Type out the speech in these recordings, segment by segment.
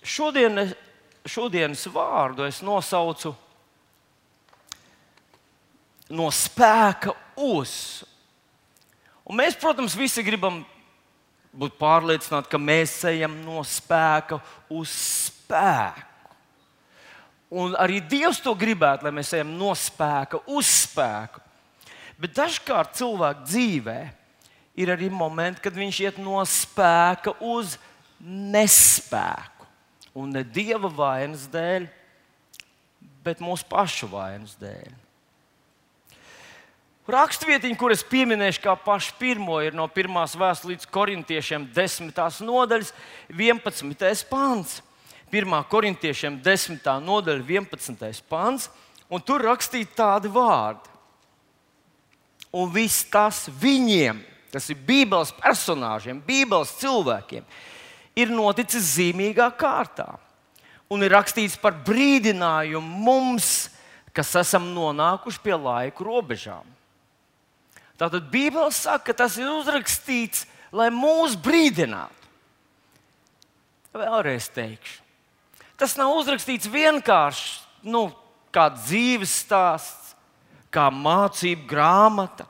šodienas vārdu es nosaucu no spēka uz. Un mēs, protams, visi gribam būt pārliecināti, ka mēs ejam no spēka uz spēku. Un arī Dievs to gribētu, lai mēs ejam no spēka uz spēku. Bet dažkārt cilvēka dzīvē ir arī momenti, kad viņš iet no spēka uz nespēku. Un ne Dieva vainas dēļ, bet mūsu pašu vainas dēļ. Rakstvietiņa, kur es pieminēšu kā pašu pirmo, ir no 1. vēstules līdz korintiešiem 10. nodaļas 11. pants. 1. korintiešiem 10. nodaļa 11. pants, un tur rakstīti tādi vārdi. Un viss tas viņiem, tas ir Bībeles personāžiem, Bībeles cilvēkiem, ir noticis zīmīgā kārtā. Un ir rakstīts par brīdinājumu mums, kas esam nonākuši pie laika robežām. Tātad Bībele saka, ka tas ir uzrakstīts, lai mūs brīdinātu. Vēlreiz teikšu. Tas nav uzrakstīts vienkārši kā dzīves stāsts, kā mācību grāmata.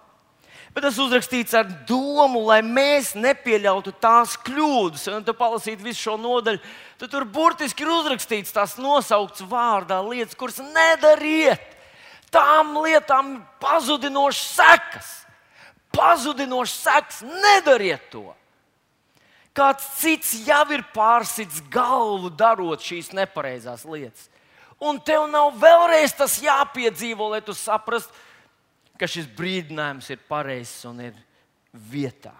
Bet tas uzrakstīts ar domu, lai mēs nepieļautu tās kļūdas. Un, ja palasīt visu šo nodaļu, tad tur burtiski ir uzrakstīts tās nosauktas vārdā lietas, kuras nedariet. Tām lietām ir pazudinošas sekas. Pazudinošas sekas, nedariet to. Kāds cits jau ir pārsits galvu, darot šīs nepareizās lietas. Un tev nav vēlreiz tas jāpiedzīvo, lai tu saprastu, ka šis brīdinājums ir pareizs un ir vietā.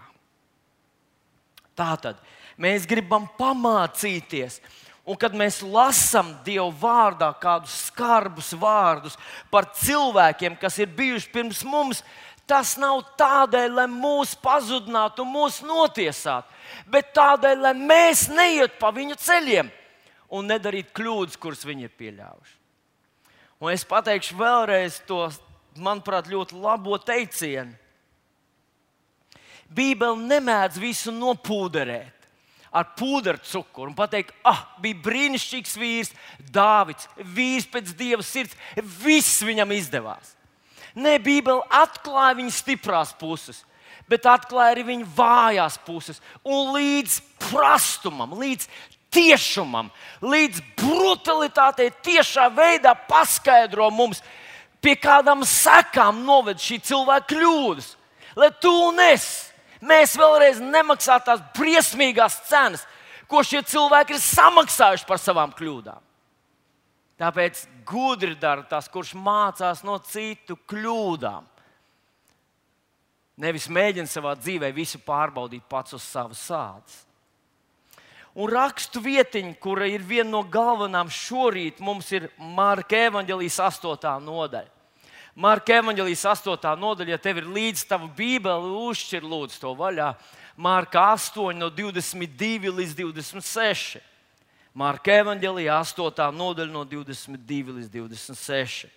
Tātad mēs gribam pamācīties. Un kad mēs lasām Dieva vārdā kādus skarbus vārdus par cilvēkiem, kas ir bijuši pirms mums, tas nav tādēļ, lai mūs pazudinātu un mūs notiesātu, bet tādēļ, lai mēs neietu pa viņu ceļiem un nedarītu kļūdas, kuras viņi ir pieļāvuši. Un es pateikšu vēlreiz to, manuprāt, ļoti labo teicienu. Bībele nemēdz visu nopūderēt ar pūdercukuru un pateikt, bija brīnišķīgs vīrs, Dāvids, vīrs pēc Dieva sirds, viss viņam izdevās. Nē, Bībele atklāja viņa stiprās puses, bet atklāja arī viņa vājās puses. Un līdz prastumam, līdz tiešumam, līdz brutalitātei tiešā veidā paskaidro mums, pie kādām sekām noved šī cilvēka kļūdas. Lai tu un mēs vēlreiz nemaksātu tās briesmīgās cenas, ko šie cilvēki ir samaksājuši par savām kļūdām. Tāpēc gudri dara tas, kurš mācās no citu kļūdām. Nevis mēģina savā dzīvē visu pārbaudīt pats uz savas ādas. Un rakstu vietiņa, kura ir viena no galvenām šorīt, mums ir Marka evaņģēlijas 8. nodaļa. Marka evaņģēlijas 8. nodaļa, ja tev ir līdz tava Bībele, uzšķir lūdzu to vaļā. Marka 8 no 22 līdz 26. Marka evaņģēlijā 8. nodaļa no 22 līdz 26.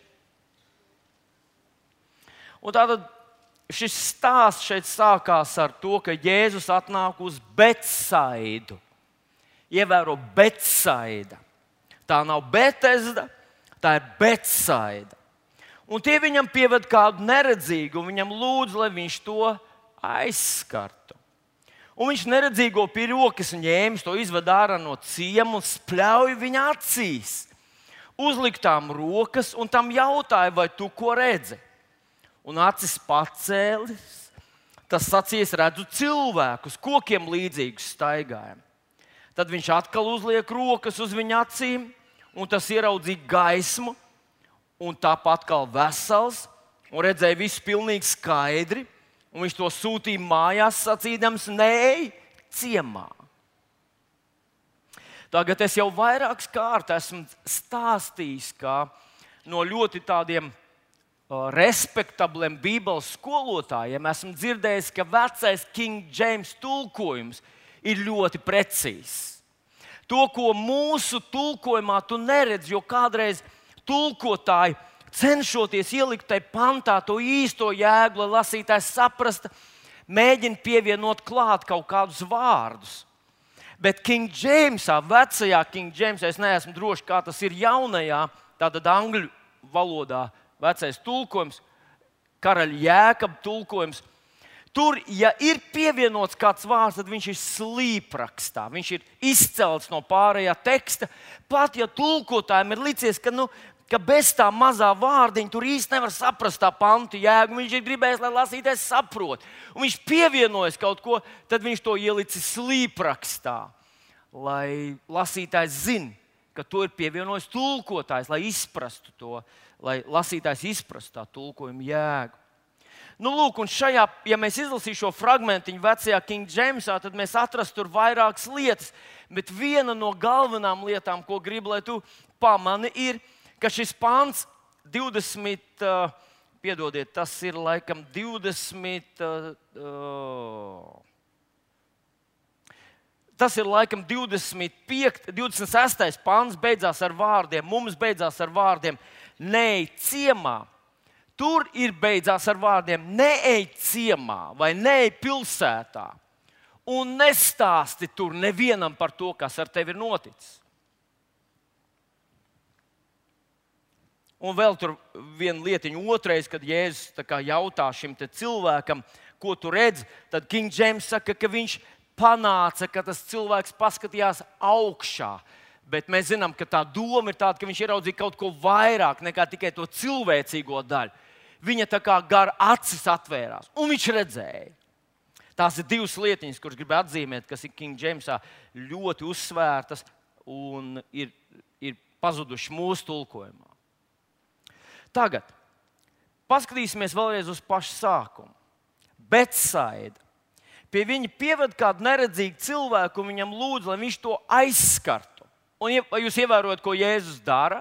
Un tātad šis stāsts šeit sākās ar to, ka Jēzus atnāk uz Betsaidu. Ievēro Betsaida. Tā nav Betesda, tā ir Betsaida. Un tie viņam pieved kādu neredzīgu, un viņam lūdz, lai viņš to aizskartu. Un viņš neredzīgo pie rokas ņēmis, to izved ārā no ciema un spļauj viņa acīs. Uzliktām rokas un tam jautāja, vai tu ko redzi? Un acis pacēlis, tas sacīs, redzu cilvēkus, kokiem līdzīgus staigājam. Tad viņš atkal uzliek rokas uz viņa acīm, un tas ieraudzīja gaismu, un tāpat atkal vesels, un redzēja visu pilnīgi skaidri. Un viņš to sūtīja mājās, sacīdams, neej ciemā. Tagad es jau vairākas kārtas esmu stāstījis, ka no ļoti tādiem respektabliem Bībeles skolotājiem esmu dzirdējis, ka vecais King James tulkojums ir ļoti precīzs. To, ko mūsu tulkojumā tu neredzi, jo kādreiz tulkotāji, cenšoties ielikt tajā pantā to īsto jēgu, lai lasītājs saprastu, mēģina pievienot klāt kaut kādus vārdus. Bet King Jamesā, vecajā King Jamesā, es neesmu drošs, kā tas ir jaunajā, tātad angļu valodā, vecais tulkojums, karaļa Jēkaba tulkojums. Tur, ja ir pievienots kāds vārds, tad viņš ir slīprakstā. Viņš ir izcelts no pārējā teksta. Pat ja tulkotājiem ir licies, ka bez tā mazā vārdiņa tur īsti nevar saprast tā pantu jēgu. Viņš ir gribējis, lai lasītājs saprot. Un viņš pievienojas kaut ko, tad viņš to ielicis slīprakstā. Lai lasītājs zina, ka to ir pievienojis tulkotājs, lai izprastu to, lai lasītājs izprastu tā tulkojuma jēgu. Lūk, un šajā, ja mēs izlasīsim šo fragmentiņu vecajā King Jamesā, tad mēs atrastu tur vairākas lietas. Bet viena no galvenām lietām, ko gribu, lai tu pamani, ir, ka šis pāns 20, piedodiet, tas ir laikam 20. Tas ir laikam 26. pāns, beidzās ar vārdiem, mums beidzās ar vārdiem, neej ciemā. Tur ir beidzās ar vārdiem, neej ciemā vai neej pilsētā un nestāsti tur nevienam par to, kas ar tevi ir noticis. Un vēl tur viena lietiņa, otrais, kad Jēzus jautā šim cilvēkam, ko tu redzi, tad King James saka, ka viņš panāca, ka tas cilvēks paskatījās augšā. Bet mēs zinām, ka tā doma ir tāda, ka viņš ieraudzīja kaut ko vairāk nekā tikai to cilvēcīgo daļu. Viņa tā kā gar acis atvērās, un viņš redzēja. Tās ir divas lietiņas, kuras gribu atzīmēt, kas ir King Jamesā ļoti uzsvērtas un ir pazudušas mūsu tulkojumā. Tagad paskatīsimies vēlreiz uz pašu sākumu. Betsaida. Pie viņa pieved kādu neredzīgu cilvēku un viņam lūdz, lai viņš to aizskartu. Un vai jūs ievērojat, ko Jēzus dara?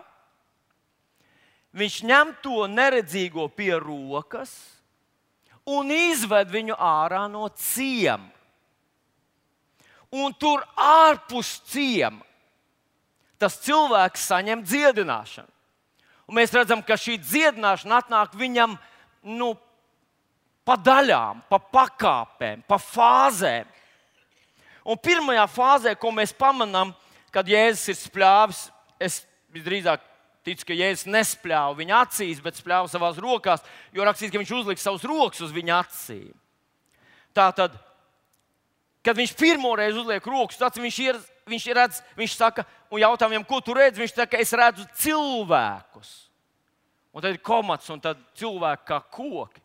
Viņš ņem to neredzīgo pie rokas un izved viņu ārā no ciema. Un tur ārpus ciema tas cilvēks saņem dziedināšanu. Un mēs redzam, ka šī dziedināšana atnāk viņam pa daļām, pa pakāpēm, pa fāzēm. Un pirmajā fāzē, ko mēs pamanām, kad Jēzus ir spļāvis, es visdrīzāk ticu, ka Jēzus nespļāva viņa acīs, bet spļāva savās rokās, jo rakstīts, ka viņš uzlika savus rokas uz viņa acīm. Tātad, kad viņš pirmoreiz uzliek rokas, tad viņš saka, un jautā viņam, ko tu redzi? Viņš saka, es redzu cilvēkus. Un tad ir komats, un tad cilvēki kā koki.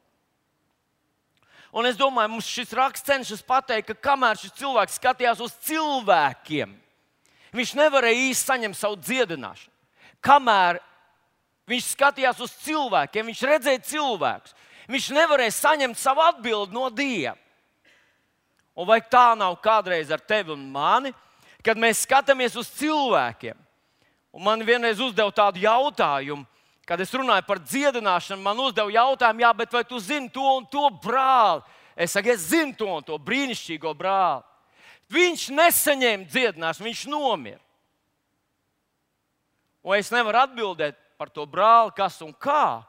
Un es domāju, mums šis raksts cenšas pateikt, ka kamēr šis cilvēks skatījās uz cilvēkiem, viņš nevarēja īsti saņemt savu dziedināšanu. Kamēr viņš skatījās uz cilvēkiem, viņš redzēja cilvēkus, viņš nevarēja saņemt savu atbildi no Dieva. Un vai tā nav kādreiz ar tevi un mani, kad mēs skatāmies uz cilvēkiem? Un man vienreiz uzdeva tādu jautājumu, kad es runāju par dziedināšanu, man uzdeva jautājumu, jā, bet vai tu zini to un to brāli? Es saku, es zinu to un to brīnišķīgo brāli. Viņš nesaņēma dziedināšanu, viņš nomira. Un es nevaru atbildēt par to brāli, kas un kā.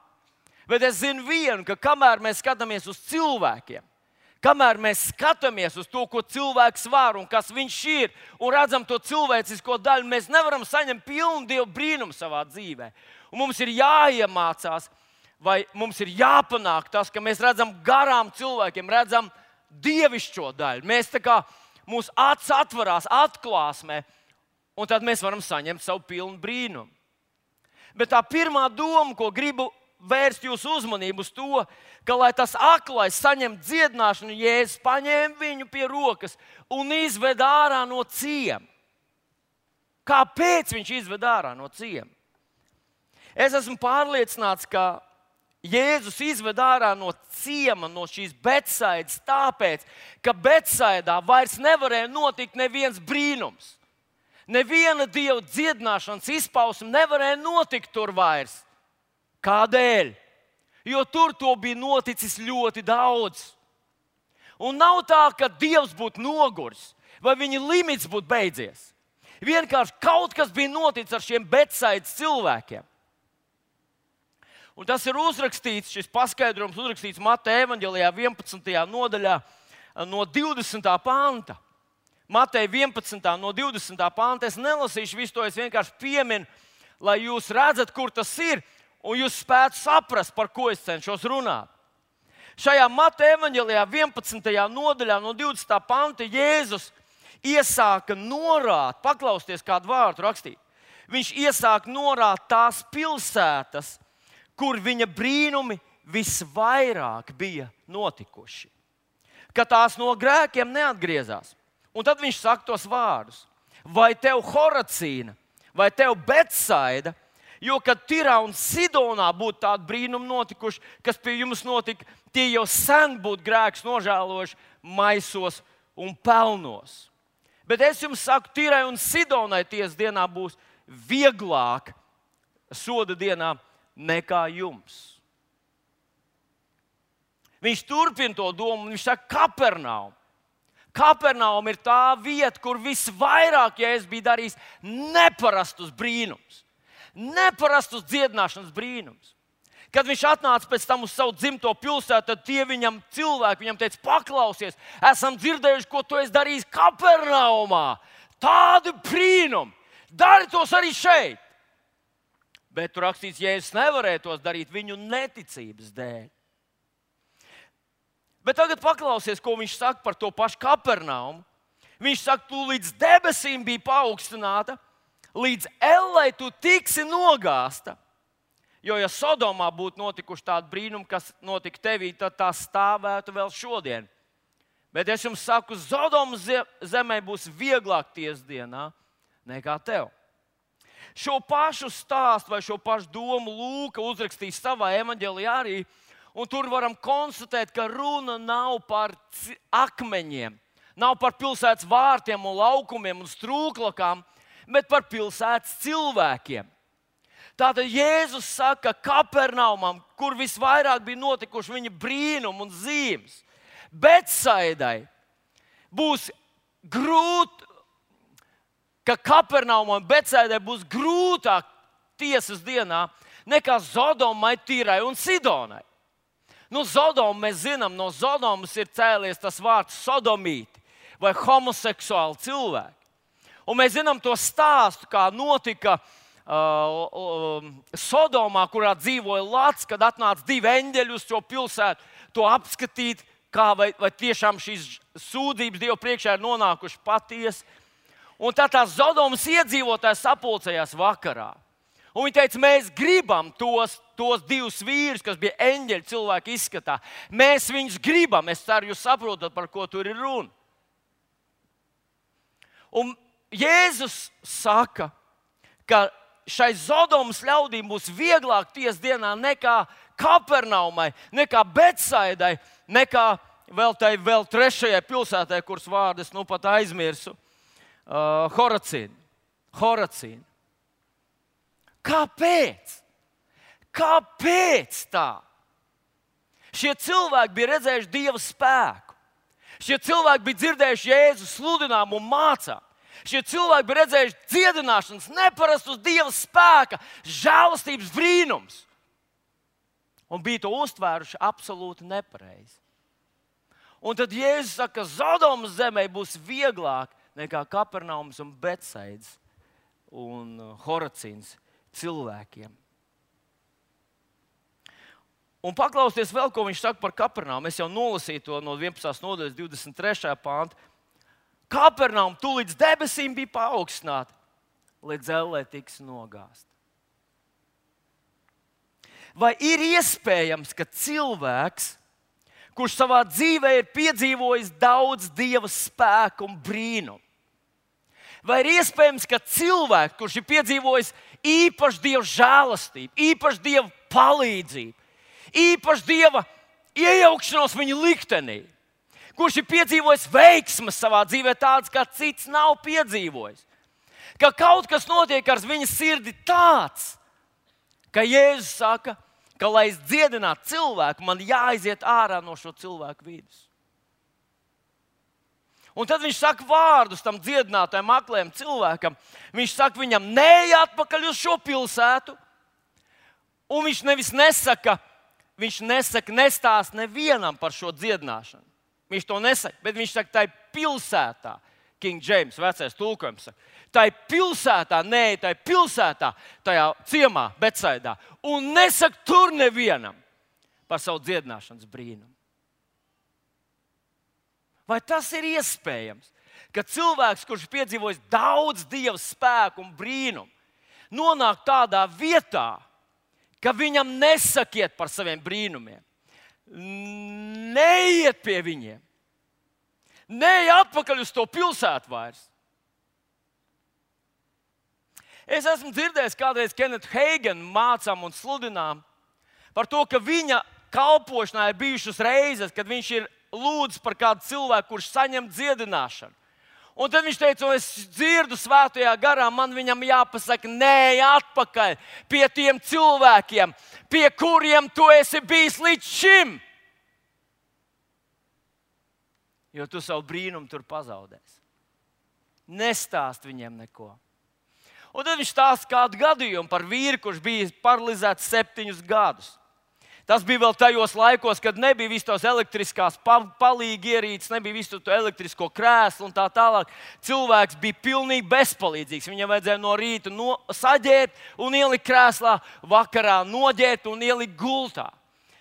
Bet es zinu vienu, ka kamēr mēs skatāmies uz cilvēkiem, kamēr mēs skatāmies uz to, ko cilvēks var un kas viņš ir, un redzam to cilvēcisko daļu, mēs nevaram saņemt pilnu Dieva brīnumu savā dzīvē. Un mums ir jāiemācās, vai mums ir jāpanāk tas, ka mēs redzam garām cilvēkiem, redzam dievišķo daļu. Mēs tā kā mūsu acis atverās atklāsmē, un tad mēs varam saņemt savu pilnu brīnumu. Bet tā pirmā doma, ko gribu vērst jūsu uzmanību uz to, ka, lai tas aklais saņem dziedināšanu, Jēzus paņēma viņu pie rokas un izved ārā no ciema. Kāpēc viņš izved ārā no ciema? Es esmu pārliecināts, ka Jēzus izved ārā no ciema, no šīs Betsaidas, tāpēc, ka Betsaidā vairs nevarēja notikt neviens brīnums. Neviena Dieva dziedināšanas izpausme nevarēja notikt tur vairs. Kādēļ? Jo tur to bija noticis ļoti daudz. Un nav tā, ka Dievs būtu noguris vai viņa limits būtu beidzies. Vienkārši kaut kas bija noticis ar šiem Betsaidas cilvēkiem. Un tas ir uzrakstīts, šis paskaidrojums uzrakstīts Mateja evaņģelijā 11. nodaļā no 20. panta. Mateja 11. no 20. panta. Es nelasīšu visu to, es vienkārši pieminu, lai jūs redzat, kur tas ir, un jūs spētu saprast, par ko es cenšos runāt. Šajā Mateja evaņģēlijā 11. nodaļā no 20. panta Jēzus iesāka norāt, paklausties kādu vārdu rakstīt. Viņš iesāka norāt tās pilsētas, kur viņa brīnumi visvairāk bija notikuši. Ka tās no grēkiem neatgriezās. Un tad viņš saka tos vārdus. Vai tev Horacīna, vai tev Betsaida, jo kad Tirā un Sidonā būtu tādi brīnumi notikuši, kas pie jums notika, tie jau sen būtu grēks nožēlojuši maisos un pelnos. Bet es jums saku, Tirai un Sidonai tiesas dienā būs vieglāk soda dienā nekā jums. Viņš turpina to domu, un viņš saka, Kapernaum. Kapernaum ir tā vieta, kur visvairāk Jēzus bija darījis neparastus brīnumus. Neparastus dziedināšanas brīnumus. Kad viņš atnāca pēc tam uz savu dzimto pilsētu, tad tie cilvēki viņam teica, paklausies, esam dzirdējuši, ko tu esi darījis Kapernaumā. Tādi brīnumi. Dari tos arī šeit. Bet tur rakstīts, Jēzus nevarēja tos darīt viņu neticības dēļ. Bet tagad paklausies, ko viņš saka par to pašu Kapernaumu. Viņš saka, tu līdz debesīm biji paaugstināta, līdz ellei tu tiksi nogāsta. Jo, ja Sodomā būtu notikuši tādi brīnumi, kas notika tevī, tad tā stāvētu vēl šodien. Bet es jums saku, Sodomas zemē būs vieglāk tiesas dienā nekā tev. Šo pašu stāstu vai šo pašu domu Lūka uzrakstīs savā evaņģēlijā arī. Un tur varam konstatēt, ka runa nav par akmeņiem, nav par pilsētas vārtiem un laukumiem un strūklakām, bet par pilsētas cilvēkiem. Tātad Jēzus saka Kapernaumam, kur visvairāk bija notikuši viņa brīnumi un zīmes. Betsaidai būs grūti, ka Kapernaumam un Betsaidai būs grūtāk tiesas dienā nekā Sodomai, Tirai un Sidonai. Nu, Sodomu mēs zinām, no Sodomas ir cēlies tas vārds sodomīti vai homoseksuāli cilvēki. Un mēs zinām to stāstu, kā notika Sodomā, kurā dzīvoja Lats, kad atnāca 2 eņģeļi uz šo pilsētu, to apskatīt, kā vai tiešām šīs sūdzības Dievu priekšā ir nonākušas patiesi. Un tad tās Sodomas iedzīvotājs sapulcējās vakarā. Un viņi teica, mēs gribam tos 2 vīrus, kas bija eņģeļi cilvēku izskatā. Mēs viņus gribam. Es ceru, jūs saprotat, par ko tur ir runa. Un Jēzus saka, ka šai Sodomas ļaudīm būs vieglāk tiesas dienā nekā Kapernaumai, nekā Betsaidai, nekā vēl 3. pilsētai, kuras vārdas nu pat aizmirsu, Horacīna. Kāpēc? Kāpēc tā? Šie cilvēki bija redzējuši Dieva spēku. Šie cilvēki bija dzirdējuši Jēzu sludinājumu un mācām. Šie cilvēki bija redzējuši dziedināšanas, neparastus Dieva spēka, žēlastības brīnums. Un bija to uztvēruši absolūti nepareizi. Un tad Jēzus saka, ka Sodomas zemē būs vieglāk nekā Kapernaumas un Betsaidas un Horacīnas cilvēkiem. Un paklausieties vēl, ko viņš saka par Kapernaumu. Es jau nolasīju to no 11. nodaļas 23. panta. Kapernaum tu līdz debesīm bija paaugstināta, līdz ellē tiks nogāsta. Vai ir iespējams, ka cilvēks, kurš savā dzīvē ir piedzīvojis daudz Dieva spēku un brīnumu, vai ir iespējams, ka cilvēks, kurš ir piedzīvojis īpašu Dieva žēlastību, īpašu Dieva palīdzību, īpašu Dieva iejaukšanos viņa liktenī, kurš ir piedzīvojis veiksmes savā dzīvē tādas, kā cits nav piedzīvojis, ka kaut kas notiek ar viņa sirdi tāds, ka Jēzus saka, ka, lai es dziedinātu cilvēku, man jāaiziet ārā no šo cilvēku vidus. Un tad viņš saka vārdus tam dziedinātājam, aklajam cilvēkam. Viņš saka viņam, neej atpakaļ uz šo pilsētu. Un viņš nestāsta nevienam par šo dziedināšanu. Viņš to nesaka, bet viņš saka, tai pilsētā King James, vecais tulkojums saka. Tai pilsētā, tajā ciemā, Betsaidā, un nesaka tur nevienam par savu dziedināšanas brīnumu. Vai tas ir iespējams, ka cilvēks, kurš piedzīvojis daudz Dieva spēku un brīnumu, nonāk tādā vietā, ka viņam nesakiet par saviem brīnumiem, neiet pie viņiem, neiet atpakaļ uz to pilsētu vairs? Es esmu dzirdējis kādreiz Kenetu Heigenu mācām un sludinām par to, ka viņa kalpošanā ir bijušas reizes, kad viņš ir lūdzis par kādu cilvēku, kurš saņem dziedināšanu. Un tad viņš teica, es dzirdu svētajā garā, man viņam jāpasaka, nē, atpakaļ pie tiem cilvēkiem, pie kuriem tu esi bijis līdz šim. Jo tu savu brīnumu tur pazaudēsi. Nestāst viņiem neko. Un tad viņš stāsta kādu gadījumu par vīru, kurš bija paralizēts 7 gadus. Tas bija vēl tajos laikos, kad nebija viss tos elektriskās palīgi ierīces, nebija visu to elektrisko krēslu un tā tālāk. Cilvēks bija pilnīgi bezpalīdzīgs. Viņam vajadzēja no rīta saģēt un ielikt krēslā, vakarā noģēt un ielikt gultā.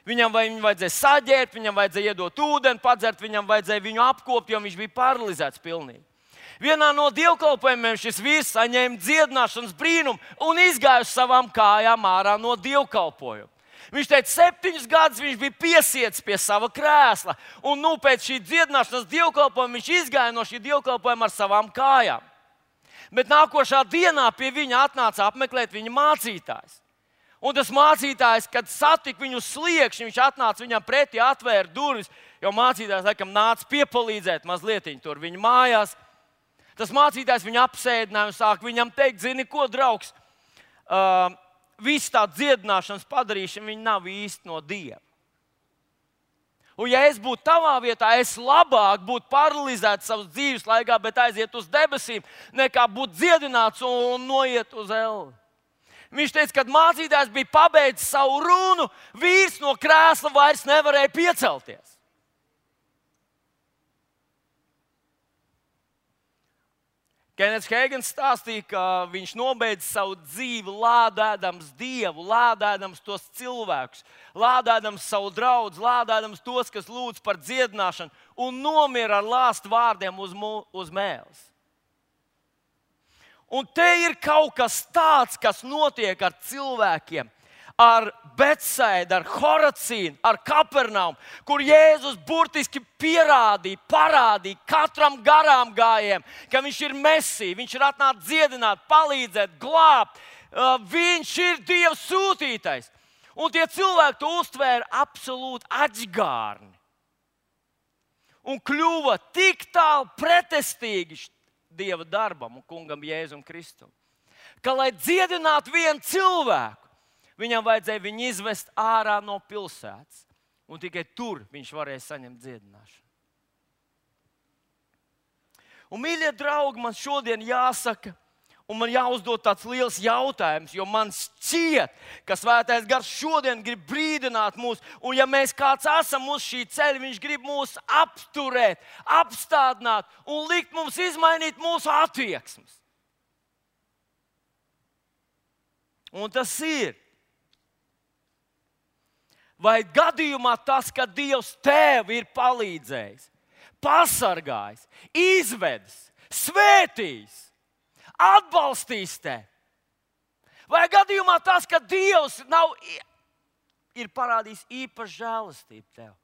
Viņam vajadzēja saģēt, viņam vajadzēja iedot ūdeni, padzert, viņam vajadzēja viņu apkopt, jo viņš bija paralizēts pilnīgi. Vienā no dievkalpojumiem šis vīrs saņēma dziedināšanas brīnumu un izgāja uz savām kājām ārā no dievkalpojuma. Viņš teica, 7 gadus viņš bija piesiets pie sava krēsla, un pēc šī dziedināšanas dievkalpojuma viņš izgāja no šī dievkalpojuma ar savām kājām. Bet nākošā dienā pie viņa atnāca apmeklēt viņa mācītājs. Un tas mācītājs, kad satika viņu uz sliekšņa, viņš atnāca viņam pretī, atvēra durvis, jo mācītājs laikam nāca piepalīdzēt mazliet tur viņa mājās. Tas mācītājs viņu apsēdināja un sāk viņam teikt, zini ko, draugs, viss tā dziedināšanas padarīšana, viņa nav īsti no Dieva. Un ja es būtu tavā vietā, es labāk būtu paralizēts savas dzīves laikā, bet aiziet uz debesīm, nekā būt dziedināts un noiet uz elli. Viņš teica, kad mācītājs bija pabeidzis savu runu, vīrs no krēsla vairs nevarēja piecelties. Kenets Heigens stāstīja, ka viņš nobeidza savu dzīvi lādēdams Dievu, lādēdams tos cilvēkus, lādēdams savu draugu, lādēdams tos, kas lūdz par dziedināšanu, un nomira ar lāstu vārdiem uz mēles. Un te ir kaut kas tāds, kas notiek ar cilvēkiem, ar Betsaidu, ar Horacīnu, ar Kapernaumu, kur Jēzus burtiski parādīja katram garām gājējam, ka viņš ir Mesija, viņš ir atnācis dziedināt, palīdzēt, glābt. Viņš ir Dieva sūtītais. Un tie cilvēki to uztvēra absolūti aģgārni. Un kļuva tik tālu pretestīgi Dieva darbam un kungam Jēzum Kristum, ka, lai dziedinātu vienu cilvēku, viņam vajadzēja viņu izvest ārā no pilsētas. Un tikai tur viņš varēja saņemt dziedināšanu. Un, mīļie draugi, man šodien jāsaka, un man jāuzdod tāds liels jautājums, jo man šķiet, ka Svētais Gars šodien grib brīdināt mūs. Un ja mēs kāds esam uz šī ceļa, viņš grib mūs apturēt, apstādināt un likt mums izmainīt mūsu attieksmes. Un tas ir. Vai gadījumā tas, ka Dievs tev ir palīdzējis, pasargājis, izvedis, svētījis, atbalstījis tevi? Vai gadījumā tas, ka Dievs ir parādījis īpašu žēlastību tev?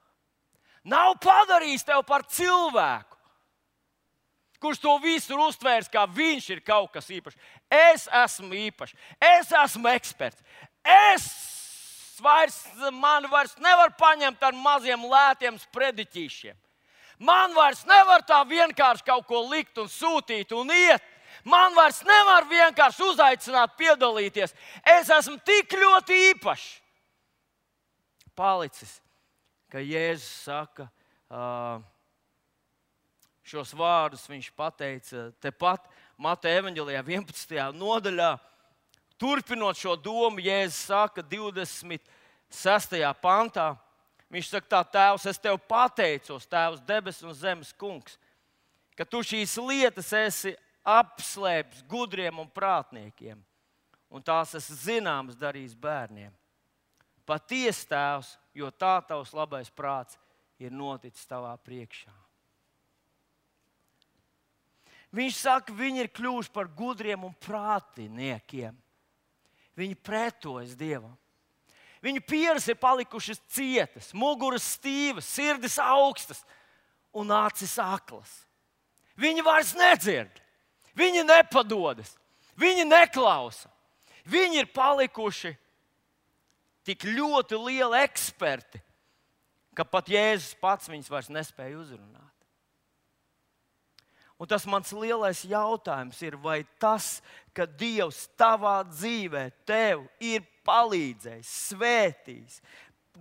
Nav padarījis tevi par cilvēku, kurš to visur uztvērs, kā viņš ir kaut kas īpašs. Es esmu īpašs, es esmu eksperts, man vairs nevar paņemt ar maziem lētiem sprediķīšiem. Man vairs nevar tā vienkārši kaut ko likt un sūtīt un iet. Man vairs nevar vienkārši uzaicināt piedalīties. Es esmu tik ļoti īpašs. Palicis, ka Jēzus saka, šos vārdus viņš pateica tepat Mateja evaņģelijā 11. nodaļā. Turpinot šo domu, Jēzus saka 26. pantā, viņš saka tā, Tēvs, es tev pateicos, Tēvs, debesu un zemes kungs, ka tu šīs lietas esi apslēpis gudriem un prātniekiem, un tās esi zināmas darījis bērniem. Patiesi, Tēvs, jo tā tavs labais prāts ir noticis tavā priekšā. Viņš saka, viņi ir kļuvuši par gudriem un prātiniekiem. Viņi pretojas Dievam. Viņu pieres ir palikušas cietas, muguras stīvas, sirdis augstas un acis aklas. Viņi vairs nedzird, viņi nepadodas, viņi neklausa. Viņi ir palikuši tik ļoti lieli eksperti, ka pat Jēzus pats viņus vairs nespēja uzrunāt. Un tas mans lielais jautājums ir, vai tas, ka Dievs tavā dzīvē tev ir palīdzējis, svētījis,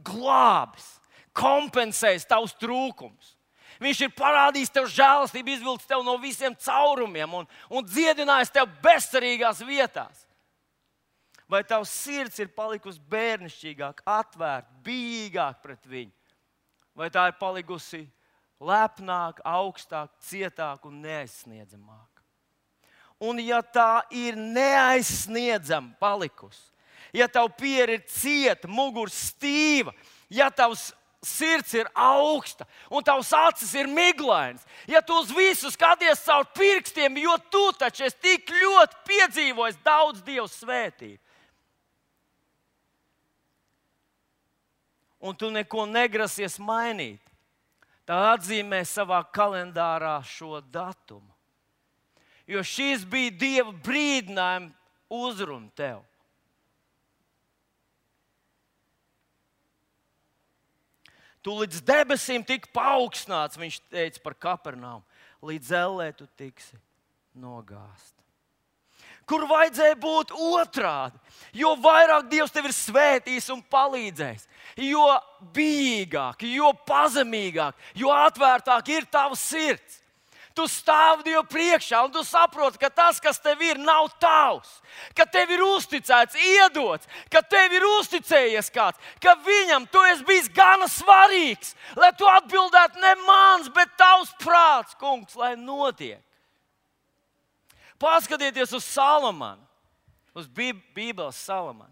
glābis, kompensējis tavus trūkumus. Viņš ir parādījis tev žēlastību, izvilcis tev no visiem caurumiem un dziedinājis tev bezcerīgās vietās. Vai tavs sirds ir palikusi bērnišķīgāk, atvērta, bijīgāk pret viņu? Vai tā ir palikusi lepnāk, augstāk, cietāk un neaizsniedzamāk? Un ja tā ir neaizsniedzama palikusi, ja tavu pieri ir cieta, mugura stīva, ja tavs sirds ir augsta un tavs acis ir miglainas, ja tu uz visu skaties caur pirkstiem, jo tu taču esi tik ļoti piedzīvojis daudz Dievu svētību, un tu neko negrasies mainīt, tad atzīmē savā kalendārā šo datumu. Jo šis bija Dieva brīdinājuma uzruna tev. Tu līdz debesīm tik paaugstināts, viņš teica par Kapernaumu, līdz ellē tu tiksi nogāzt. Kur vajadzēja būt otrādi? Jo vairāk Dievs tev ir svētījis un palīdzējis, jo bijīgāk, jo pazemīgāk, jo atvērtāk ir tavs sirds. Tu stāvi Dievu priekšā un tu saproti, ka tas, kas tev ir, nav tavs. Ka tev ir uzticēts, iedots, ka tev ir uzticējies kāds, ka viņam tu esi bijis gana svarīgs, lai tu atbildētu ne mans, bet tavs prāts, kungs, lai notiek. Paskatieties uz Salamanu, uz Bībeles Salamanu.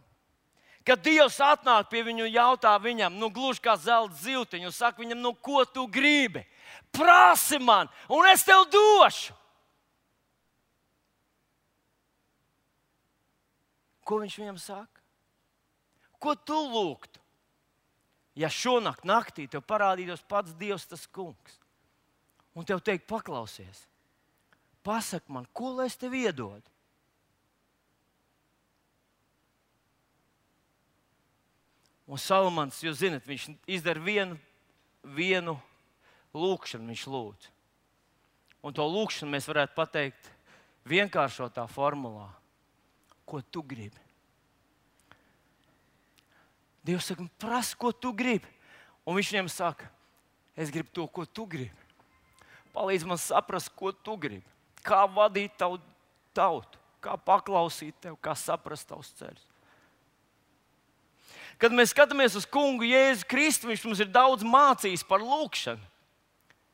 Kad Dievs atnāk pie viņu un jautā viņam, gluži kā zelta zivtiņu, un saka viņam, ko tu gribi? Prasi man, un es tev došu. Ko viņš viņam saka? Ko tu lūgtu? Ja šonakt naktī tev parādītos pats Dievs, tas kungs, un tev teikt, paklausies, pasak man, ko lai es tev iedodu? Un Salamans, jūs zinat, viņš izdara vienu lūkšanu, viņš lūdz. Un to lūkšanu mēs varētu pateikt vienkāršotā formulā. Ko tu gribi? Dievs saka, prasa, ko tu gribi. Un viņš viņam saka, es gribu to, ko tu gribi. Palīdz man saprast, ko tu gribi. Kā vadīt tavu tautu, kā paklausīt tev, kā saprast tavus ceļus. Kad mēs skatāmies uz kungu Jēzu Kristu, viņš mums ir daudz mācījis par lūkšanu.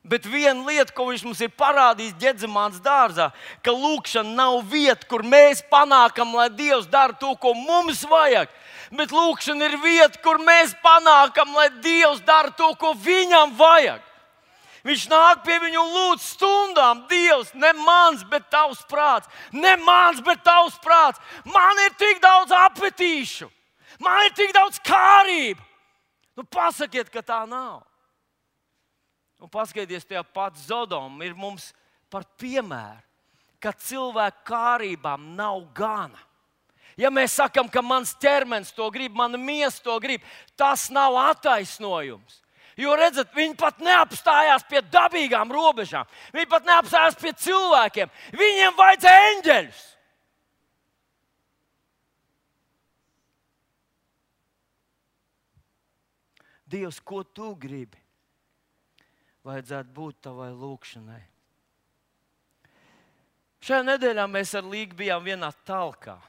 Bet viena lieta, ko viņš mums ir parādījis Ģedzemānas dārzā, ka lūkšana nav vieta, kur mēs panākam, lai Dievs dara to, ko mums vajag. Bet lūkšana ir vieta, kur mēs panākam, lai Dievs dara to, ko viņam vajag. Viņš nāk pie viņu un lūdz stundām, Dievs, ne mans, bet tavs prāts. Ne mans, bet tavs prāts. Man ir tik daudz apetīšu. Man ir tik daudz kārību. Pasakiet, ka tā nav. Un paskatieties, tie pats Zodoma ir mums par piemēru, ka cilvēku kārībām nav gana. Ja mēs sakam, ka mans ķermenis to grib, mana miesa to grib, tas nav attaisnojums. Jo, redzat, viņi pat neapstājās pie dabīgām robežām. Viņi pat neapstājās pie cilvēkiem. Viņiem vajadzēja eņģeļus. Dievs, ko tu gribi? Vajadzētu būt tavai lūkšanai. Šajā nedēļā mēs ar Līgu bijām vienā talkā.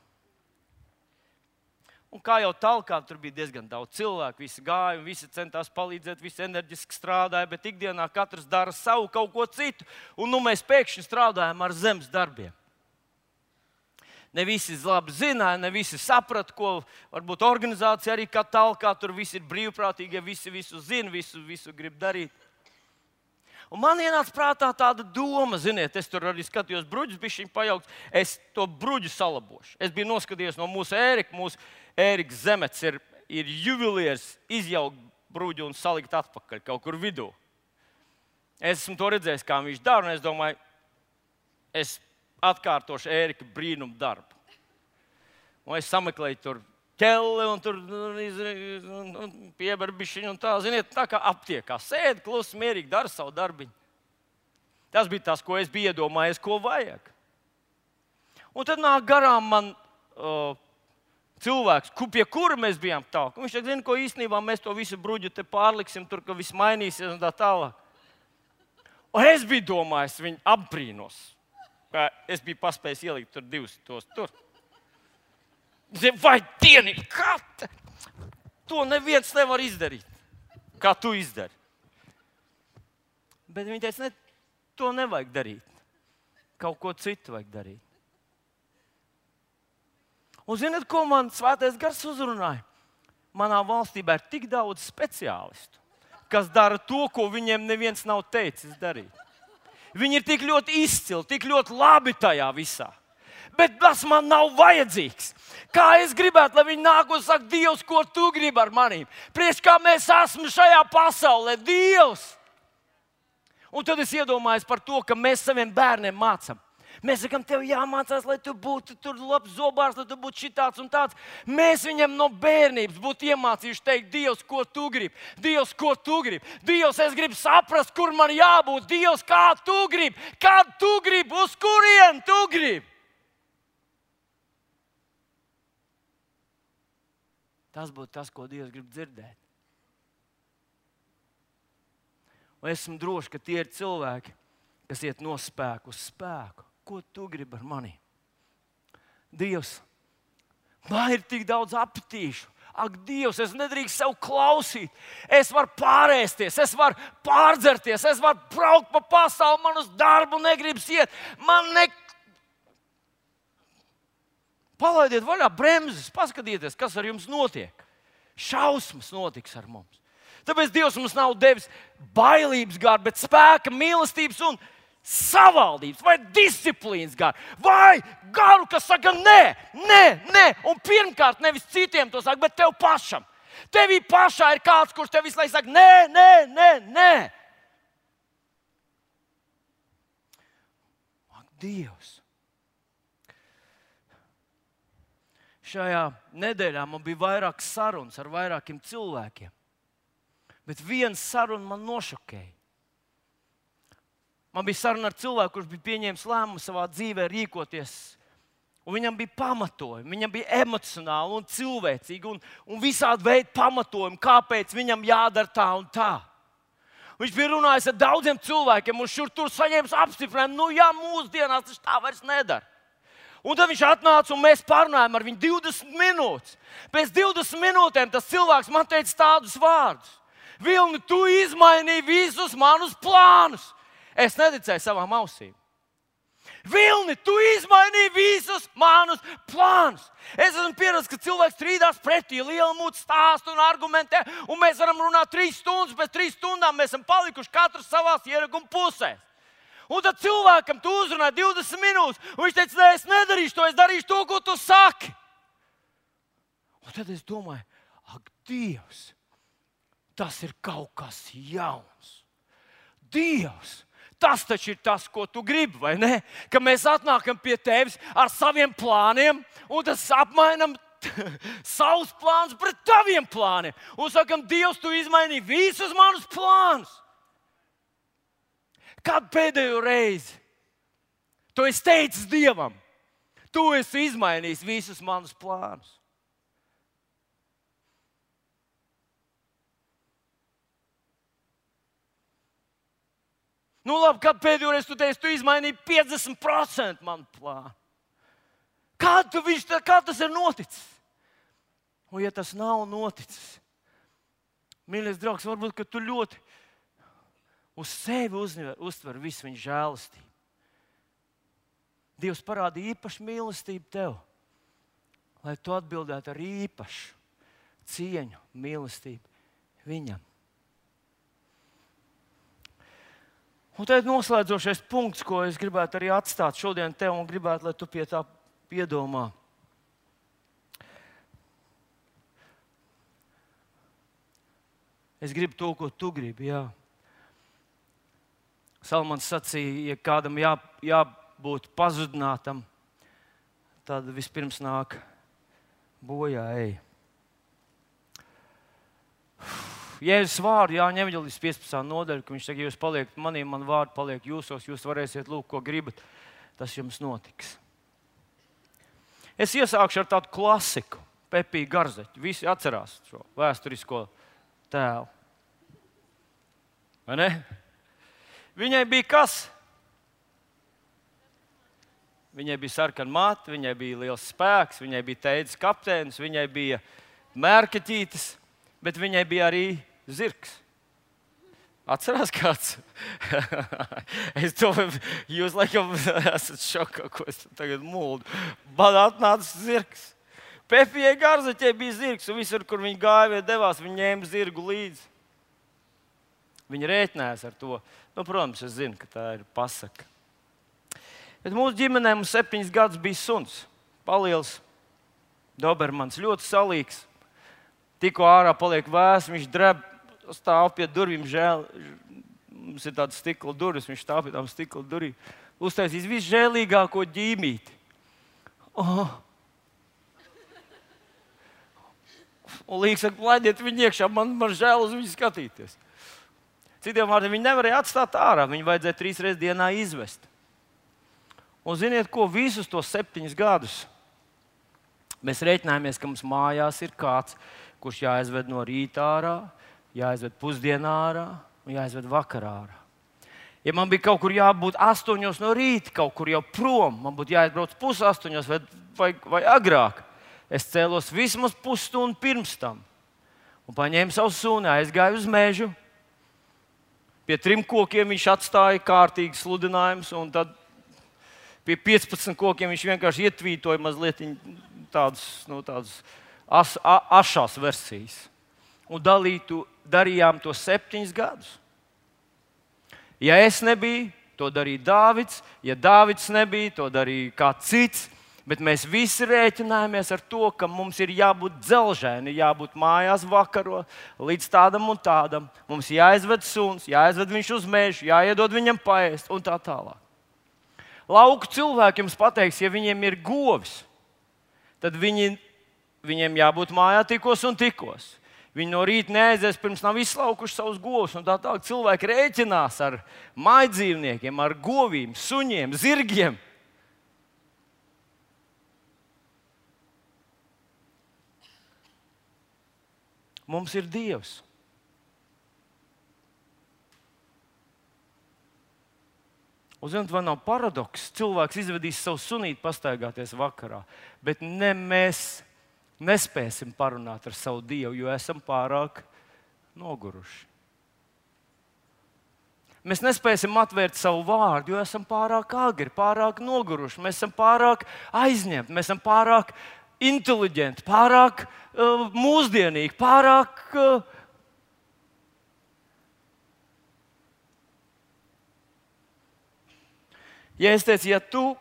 Un kā jau talkā, tur bija diezgan daudz cilvēku, visi gāja un visi centās palīdzēt, visi enerģiski strādāja, bet ikdienā katrs dara savu kaut ko citu. Un mēs pēkšņi strādājam ar zemes darbiem. Ne visi labi zināja, ne visi saprata, ko varbūt organizācija arī kā talkā, tur visi ir brīvprātīgie, visi visu zina, visu grib darīt. Un man ienāca prātā tāda doma, ziniet, es tur arī skatījos bruģus, bišķiņ pajaukt, es to bruģu salabošu. Es biju noskatījies no mūsu Ēriks Zemets ir juvelieris izjaukt bruģu un salikt atpakaļ kaut kur vidū. Es esmu to redzējis, kā viņš dara, un es domāju, es atkārtošu Ērika brīnumu darbu. Un es sameklēju tur ķelli un tur pieber bišķiņu un tā, ziniet, tā kā aptiekā. Sēdi klusi, mierīgi, dara savu darbiņu. Tas bija tas, ko es biju iedomājies, ko vajag. Un tad nāk garām man cilvēks, pie kura mēs bijām tālāk. Viņš teica, zina, ko īstenībā mēs to visu bruģu te pārliksim, tur, ka viss mainīsies un tā tālāk. Un es biju domājis, viņu apbrīnos. Es biju paspējis ielikt tur divus tos tur. Vai dieni, kā to neviens nevar izdarīt, kā tu izdari. Bet viņi teica, ne, to nevajag darīt. Kaut ko citu vajag darīt. Un zināt, ko man Svētais Gars uzrunāja? Manā valstībā ir tik daudz speciālistu, kas dara to, ko viņiem neviens nav teicis darīt. Viņi ir tik ļoti izcili, tik ļoti labi tajā visā. Bet tas man nav vajadzīgs. Kā es gribētu, lai viņi nāk un saka, Dievs, ko tu gribi ar manīm? Priekš kā mēs esam šajā pasaulē, Dievs! Un tad es iedomājos par to, ka mēs saviem bērniem mācām. Mēs sakām, tev jāmācās, lai tu būtu tur labs zobārs, lai tu būtu šitāds un tāds. Mēs viņam no bērnības būtu iemācījuši teikt, Dievs, ko tu gribi? Dievs, ko tu gribi? Dievs, es gribu saprast, kur man jābūt. Dievs, kā tu gribi? Kad tu gribi? Uz kurien tu gribi? Tas būtu tas, ko Dievs grib dzirdēt. Un esmu drošs, ka tie ir cilvēki, kas iet no spēka uz spēku. Ko tu gribi ar mani? Dievs, man ir tik daudz apetīšu. Ak, Dievs, es nedrīkst sev klausīt. Es varu pārēsties, es varu pārdzerties, es varu braukt pa pasauli, man uz darbu negribas iet. Palaidiet vaļā bremzes, paskatieties, kas ar jums notiek. Šausmas notiks ar mums. Tāpēc Dievs mums nav devis bailības garu, bet spēka, mīlestības un savaldības vai disciplīnas garu. Vai garu, kas saka nē. Un pirmkārt nevis citiem to saka, bet tev pašam. Tevī pašā ir kāds, kurš tev visu laiku saka nē. Ak, Dievs! Šajā nedēļā man bija vairākas sarunas ar vairākiem cilvēkiem. Bet viena saruna man nošokēja. Man bija saruna ar cilvēku, kurš bija pieņēmis lēmumu savā dzīvē rīkoties. Un viņam bija pamatojumi, viņam bija emocionāli un cilvēcīgi un visādi veidi pamatojumi, kāpēc viņam jādara tā un tā. Viņš bija runājis ar daudziem cilvēkiem un šur tur saņēmis apstiprinājumu, mūsdienās tas tā vairs nedara. Un tad viņš atnāca un mēs parunājām ar viņu 20 minūtes. Pēc 20 minūtēm tas cilvēks man teica tādus vārdus. Vilni, tu izmainīji visus manus plānus. Es neticēju savām ausīm. Vilni, tu izmainīji visus manus plānus. Es esmu pieredzējis, ka cilvēks strīdās pretī, liela mūta stāsta un argumentē, un mēs varam runāt 3 stundas, pēc 3 stundām mēs esam palikuši katrs savās ieraguma pusēs. Un tad cilvēkam tu uzrunāji 20 minūtes, un viņš teica, nē, es nedarīšu to, es darīšu to, ko tu saki. Un tad es domāju, ak, Dievs, tas ir kaut kas jauns. Dievs, tas taču ir tas, ko tu gribi, vai ne? Ka mēs atnākam pie tevis ar saviem plāniem, un tas apmainam savus plānus pret taviem plāniem. Un sakam, Dievs, tu izmainīji visus manus plānus. Kad pēdējo reizi tu esi teicis Dievam, tu esi izmainījis visus manus plānus? Nu labi, kad pēdējo reizi tu teici, tu izmainīji 50% manu plānu? Kā tas ir noticis? Un ja tas nav noticis, mīļais draugs, varbūt, ka tu ļoti uz sevi uztver visu viņa žēlastību. Dievs parāda īpašu mīlestību tev, lai tu atbildētu ar īpašu cieņu, mīlestību viņam. Un tad noslēdzošais punkts, ko es gribētu arī atstāt šodien tev un gribētu, lai tu pie tā piedomā. Es gribu to, ko tu gribi, jā. Salmans sacīja, ja kādam jābūt pazudinātam, tad vispirms nāk bojā ej. Jēzus vārdu Jāņa evaņģēlijas 15. nodaļa, ka viņš saka, ja jūs paliekat manī, man vārdi paliek jūsos, jūs varēsiet lūgt, ko gribat, tas jums notiks. Es iesākšu ar tādu klasiku, Pepiju Garzeķu. Visi atcerās šo vēsturisko tēlu. Vai ne? Viņai bija kas? Viņai bija sarkana mata, viņai bija liels spēks, viņai bija teidzes kapteinis, viņai bija mērkaķītis, bet viņai bija arī zirgs. Atcerās kāds? Es domāju, jūs laikam esat šokā, ko es tagad muldu. Man atnāca zirgs. Pepijai Garzeķei bija zirgs, un visur, kur viņi gāja vai devās, viņi ņēma zirgu līdzi. Viņi rēķinājās ar to. Nu, protams, es zinu, ka tā ir pasaka. Bet mūsu ģimenē mums 7 gadus bija suns. Paliels Dobermans, ļoti salīgs. Tikko ārā paliek vēss, viņš dreb, stāv pie durvīm, žēl. Mums ir tāda stikla durvis, viņš stāv pie tām stikla durvīm. Uztaisīs visžēlīgāko ģīmīti. Oh. Un Līga saka, laidiet viņu iekšā, man žēl uz viņu skatīties. Citiem vārdiem viņi nevarēja atstāt ārā, viņu vajadzēja 3 reizes dienā izvest. Un ziniet ko, visus tos 7 gadus mēs rēķinājāmies, ka mums mājās ir kāds, kurš jāizved no rīta ārā, jāizved pusdienā ārā un jāizved vakarā ārā. Ja man bija kaut kur jābūt 8 no rīta, kaut kur jau prom, man būtu jāizbrauc 7:30 vai agrāk. Es cēlos vismaz pusstundu pirms tam un paņēmu savu suni, aizgāju uz mežu. Pie 3 kokiem viņš atstāja kārtīgi sludinājumus, un tad pie 15 kokiem viņš vienkārši ietvītoja mazliet tādas ašās versijas. Un darījām to 7 gadus. Ja es nebiju, to darīja Dāvids. Ja Dāvids nebija, to darīja kāds cits. Bet mēs visi rēķinājāmies ar to, ka mums ir jābūt dzelžēni, jābūt mājās vakaro līdz tādam un tādam. Mums jāizved suns, jāizved viņš uz mežu, jāiedod viņam paēst un tā tālāk. Lauku cilvēki jums pateiks, ja viņiem ir govis, tad viņiem jābūt mājā tikos un tikos. Viņi no rīta neaizies, pirms nav izslaukuši savus govus. Un tā tālāk cilvēki rēķinās ar mājdzīvniekiem, ar govīm, suņiem, zirgiem. Mums ir Dievs. Un zināt, vai nav paradoks? Cilvēks izvedīs savu sunīti pastaigāties vakarā, bet mēs nespēsim parunāt ar savu Dievu, jo esam pārāk noguruši. Mēs nespēsim atvērt savu vārdu, jo esam pārāk agri, pārāk noguruši. Mēs esam pārāk aizņemti, mēs esam pārāk inteliģenti, pārāk mūsdienīgi, pārāk Ja es teicu, ja tu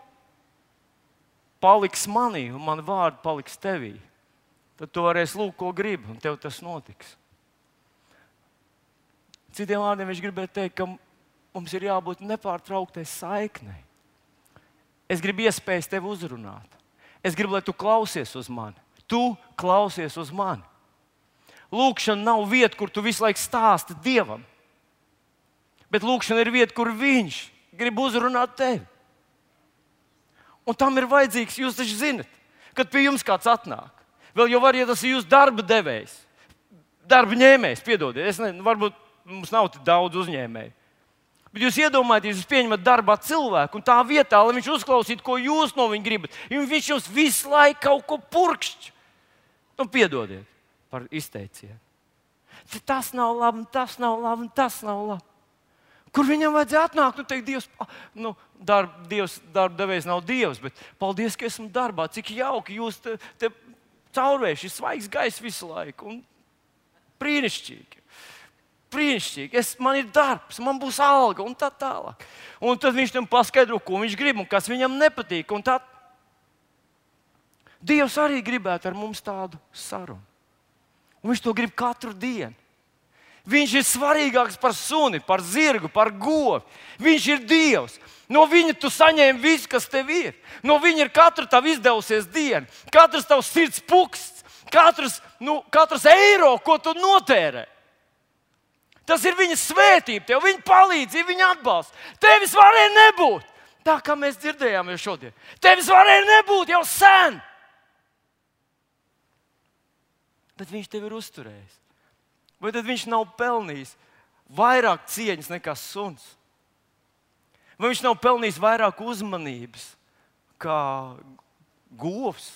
paliksi manī un man vārdi paliks tevī, tad tu varēsi lūgt, ko gribi, un tev tas notiks. Citiem vārdiem viņš gribēja teikt, ka mums ir jābūt nepārtrauktai saiknei. Es gribu iespējas tevi uzrunāt. Es gribu, lai tu klausies uz mani. Tu klausies uz mani. Lūkšana nav vieta, kur tu visu laiku stāsti Dievam. Bet lūkšana ir vieta, kur viņš grib uzrunāt tevi. Un tam ir vajadzīgs, jūs taču zinat, kad pie jums kāds atnāk. Vēl jau var, ja tas ir jūsu darba devējs, darba ņēmējs, piedodiet. Varbūt mums nav tik daudz uzņēmēju. Bet jūs iedomājieties, jūs pieņemat darbā cilvēku un tā vietā, lai viņš uzklausītu, ko jūs no viņa gribat. Viņš jums visu laiku kaut ko purkšķ. Piedodiet par izteicienu. Tas nav labi, tas nav labi, tas nav labi. Kur viņam vajadzēja atnākt un teikt, Dievs, darba devējs nav Dievs, bet paldies, ka esmu darbā. Cik jauki jūs te caurvējuši, ir svaigs gaiss visu laiku. Un brīnišķīgi. Brīnišķīgi. Man ir darbs, man būs alga un tā tālāk. Un tad viņš tam paskaidro, ko viņš grib un kas viņam nepatīk. Un tā. Dievs arī gribētu ar mums tādu sarunu. Un viņš to grib katru dienu. Viņš ir svarīgāks par suni, par zirgu, par govi. Viņš ir Dievs. No viņa tu saņēmi visu, kas tev ir. No viņa ir katra tava izdevusies diena, katrs tavs sirds puksts, katrs eiro, ko tu notērē. Tas ir viņa svētība, tev viņa palīdzība, viņa atbalsts. Tevis varēja nebūt. Tā kā mēs dzirdējām jau šodien. Tevis varēja nebūt jau sen. Bet viņš tevi ir uzturējis. Vai tad viņš nav pelnījis vairāk cieņas nekā suns? Vai viņš nav pelnījis vairāk uzmanības kā govs?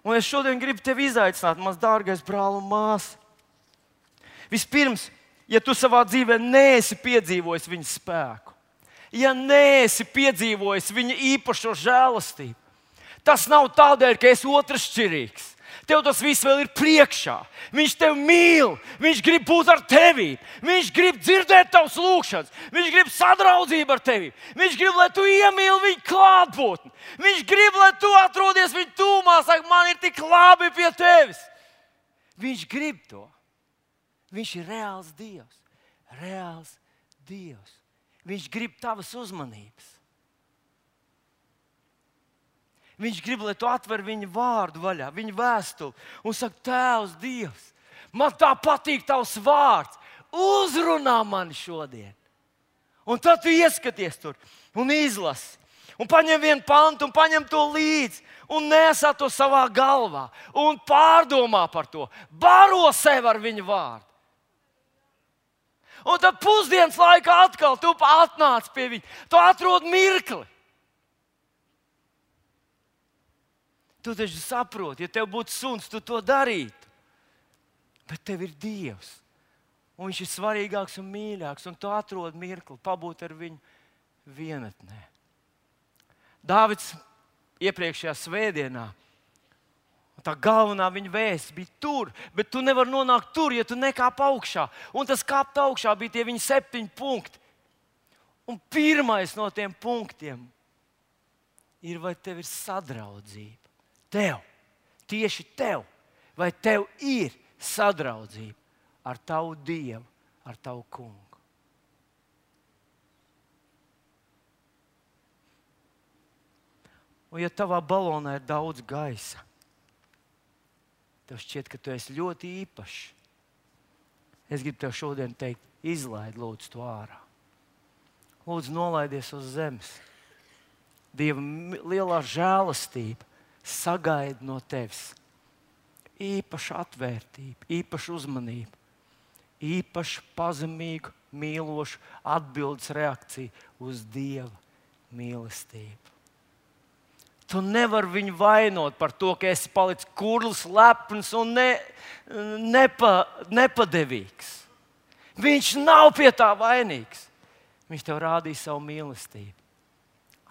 Un es šodien gribu tevi izaicināt, mans dārgais brāl un māsa. Vispirms, ja tu savā dzīvē neesi piedzīvojis viņa spēku, ja neesi piedzīvojis viņa īpašo žēlastību, tas nav tādēļ, ka esi otršķirīgs. Tev tas viss vēl ir priekšā. Viņš tevi mīl, viņš grib būt ar tevi. Viņš grib dzirdēt tavas lūgšanas, viņš grib sadraudzību ar tevi. Viņš grib, lai tu iemīli viņa klātbūtni. Viņš grib, lai tu atrodies viņa tūmā, saka, man ir tik labi pie tevis. Viņš grib to. Viņš ir reāls Dievs. Reāls Dievs. Viņš grib tavas uzmanības. Viņš grib, lai tu atver viņa vārdu vaļā, viņa vēstuli un saka, Tēvs, Dievs, man tā patīk tavs vārds, uzrunā mani šodien. Un tad tu ieskaties tur un izlasi, un paņem vienu pantu un paņem to līdzi un nesā to savā galvā un pārdomā par to, baro sev ar viņa vārdu. Un tad pusdienas laikā atkal tu atnāc pie viņa, tu atrod mirkli. Tu taču saproti, ja tev būtu suns, tu to darītu. Bet tev ir Dievs. Un viņš ir svarīgāks un mīļāks. Un tu atrod mirkli, pabūt ar viņu vienatnē. Dāvids iepriekšējā svētdienā, tā galvenā viņa vēsts bija tur, bet tu nevari nonākt tur, ja tu nekāp augšā. Un tas kāpt augšā bija tie viņa 7 punkti. Un pirmais no tiem punktiem ir, vai tev ir sadraudzība. Tev, tieši tev, vai tev ir sadraudzība ar tavu Dievu, ar tavu kungu? Un ja tavā balonā ir daudz gaisa, tev šķiet, ka tu esi ļoti īpašs. Es gribu tev šodien teikt, izlaid lūdzu to ārā. Lūdzu, nolaidies uz zemes. Dieva lielā žēlastība sagaida no tevis īpašu atvērtību, īpašu uzmanību, īpašu pazemīgu, mīlošu atbildes reakciju uz Dieva mīlestību. Tu nevari viņu vainot par to, ka esi palicis kurls, lepns un nepadevīgs. Viņš nav pie tā vainīgs. Viņš tev rādīja savu mīlestību.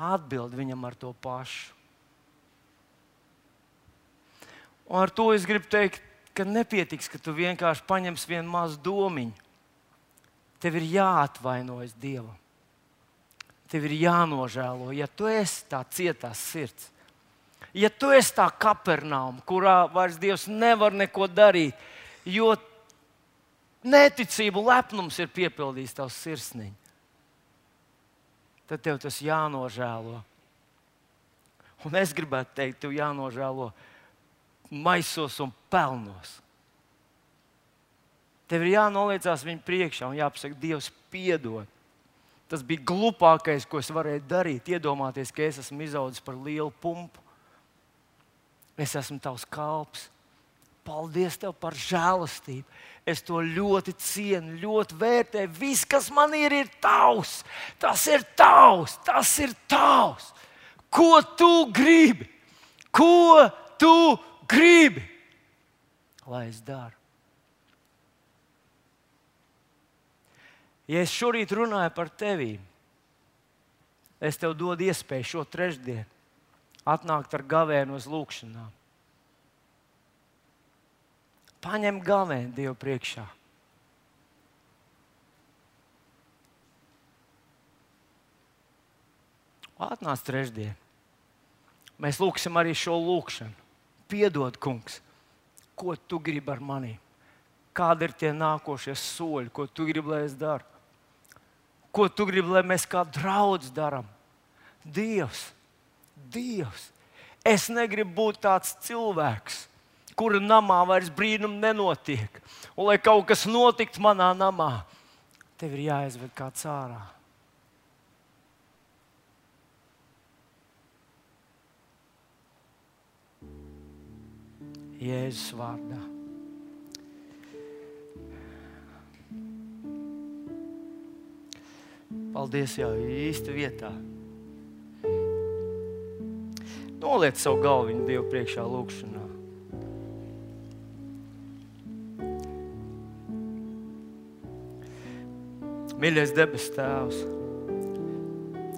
Atbild viņam ar to pašu. Un ar to es gribu teikt, ka nepietiks, ka tu vienkārši paņemsi vienu mazu domiņu. Tev ir jāatvainojas Dievam. Tev ir jānožēlo, ja tu esi tā cietās sirds. Ja tu esi tā Kapernauma, kurā vairs Dievs nevar neko darīt, jo neticību lepnums ir piepildījis tavs sirsniņu, tad tev tas jānožēlo. Un es gribētu teikt, tev jānožēlo maisos un pelnos. Tev ir jānoliecās viņa priekšā un jāpasaka, Dievs piedod. Tas bija glupākais, ko es varēju darīt. Iedomāties, ka es esmu izaudzis par lielu pumpu. Es esmu tavs kalps. Paldies tev par žēlastību. Es to ļoti cienu, ļoti vērtēju. Viss, kas man ir tavs. Tas ir tavs. Tas ir tavs. Ko tu gribi? Ko tu gribi? Lai es daru. Ja es šorīt runāju par tevi, es tev dodu iespēju šo trešdienu atnākt ar gavēnu uz lūgšanām. Paņem gavēnu Dievu priekšā. Atnāc trešdien. Mēs lūgsim arī šo lūgšanu. Piedod, kungs, ko tu gribi ar mani? Kādi ir tie nākošie soļi, ko tu gribi, lai es daru? Ko tu gribi, lai mēs kā draudz darām? Dievs, es negribu būt tāds cilvēks, kura namā vairs brīnumi nenotiek. Un lai kaut kas notiktu manā namā, tev ir jāizved kāds ārā. Jēzus vārdā. Paldies, jau īsti vietā. Noliec savu galviņu Dievu priekšā lūgšanā. Mīļais debes Tēvs,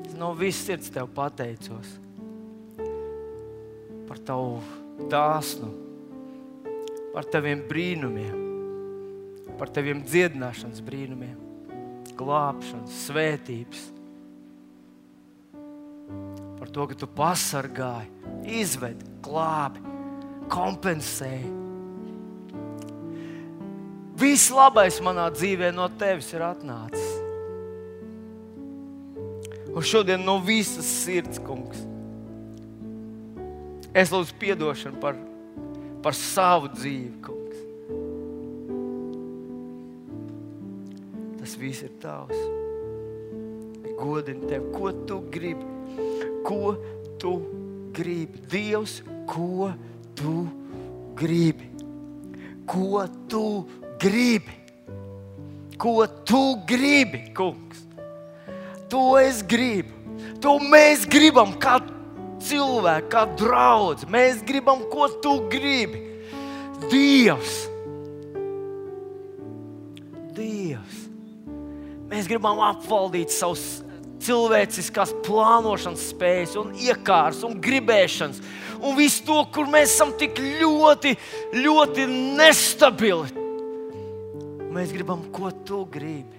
es no visas sirds Tev pateicos par Tavu dāsnu, par Taviem brīnumiem, par Taviem dziedināšanas brīnumiem, glābšanas, svētības, par to, ka Tu pasargāji, izvedi, glābi, kompensēji. Viss labais manā dzīvē no Tevis ir atnācis. Un šodien no visas sirds, kungs, es lūdzu piedošanu par savu dzīvi, kungs. Tas viss ir Tavs. Godini Tev, ko Tu gribi? Ko Tu gribi? Dievs, ko Tu gribi? Ko Tu gribi? Ko Tu gribi, kungs? To es gribu. To mēs gribam kā cilvēki, kā draudz. Mēs gribam, ko Tu gribi. Dievs. Mēs gribam apvaldīt savus cilvēciskās plānošanas spējas un iekārs un gribēšanas. Un visu to, kur mēs esam tik ļoti, ļoti nestabili. Mēs gribam, ko Tu gribi.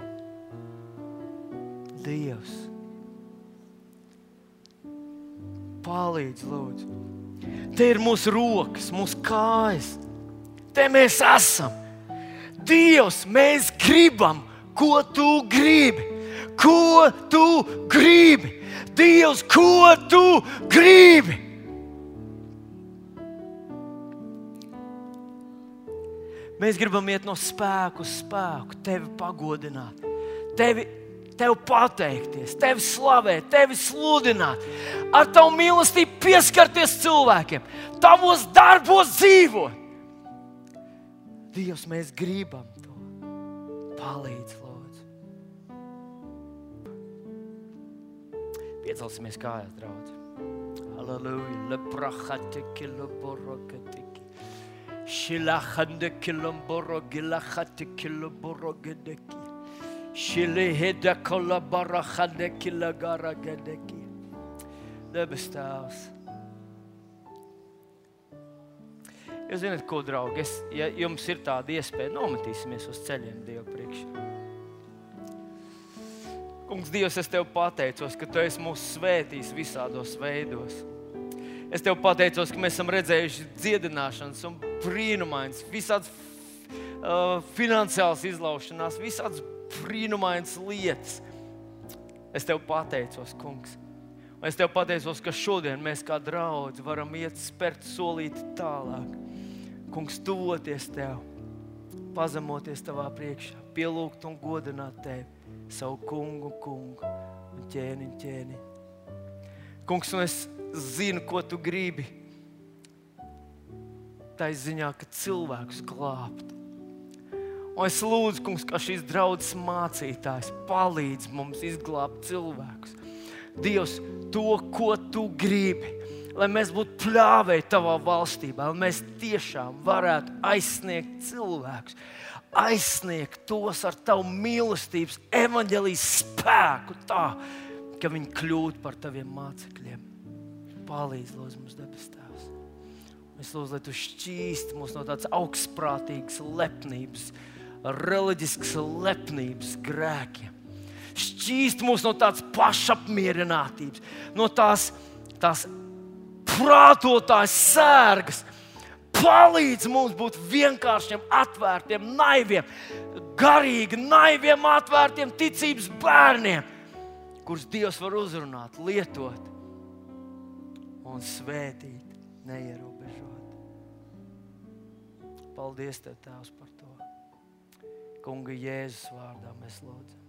Dievs. Palīdz, lūdzu. Te ir mūsu rokas, mūsu kājas. Te mēs esam. Dievs, mēs gribam, ko Tu gribi. Ko Tu gribi. Dievs, ko Tu gribi. Mēs gribam iet no spēku uz spēku, Tevi pagodināt, Tev pateikties, Tevi slavēt, Tevi sludināt, ar Tavu mīlestību pieskarties cilvēkiem, Tavos darbos dzīvot. Dievs, mēs gribam to. Palīdz, lūdzu. Piecelsimies kājās, draudzi. Halleluja. Leprachatiki, leborokatiki. Shilachandiki, lemborogilachatiki, leborogedeki. Debes Tēvs. Jūs zināt, ko, draugi, ja jums ir tāda iespēja, nometīsimies uz ceļiem Dievu priekšā. Kungs, Dievs, es Tev pateicos, ka Tu esi mūs svētījis visādos veidos. Es Tev pateicos, ka mēs esam redzējuši dziedināšanas un brīnumainas, visādas finansiālas izlaušanās, visādas brīnumainas lietas. Es Tev pateicos, kungs. Un es Tev pateicos, ka šodien mēs kā draudzi varam iet spērt solīti tālāk. Kungs, tuvoties Tev, pazemoties Tavā priekšā, pielūgt un godināt Tevi, savu kungu un ķēni. Kungs, un es zinu, ko Tu gribi. Tā ziņā, ka cilvēkus glābt. Un es lūdzu, kungs, ka šīs draudzes mācītājs palīdz mums izglābt cilvēkus. Dievs, to, ko tu gribi. Lai mēs būtu pļāvēji tavā valstībā, lai mēs tiešām varētu aizsniegt cilvēkus, aizsniegt tos ar tavu mīlestības evaņģēlijas spēku tā, ka viņi kļūtu par taviem mācekļiem. Palīdz, lūdzu, mums debes Tēvs. Es lūdzu, lai tu šķīsti mūs no tādas augstprātīgas lepnības, reliģiskas lepnības grēkiem. Šķīst mūs no tādas pašapmierinātības, no tās prātotājas sērgas. Palīdz mums būt vienkāršiem, atvērtiem, naiviem, garīgi, naiviem, atvērtiem ticības bērniem, kurus Dievs var uzrunāt, lietot un svētīt, neierobežot. Paldies Tev, Tēvs, par to. Kunga Jēzus vārdā mēs lūdzam.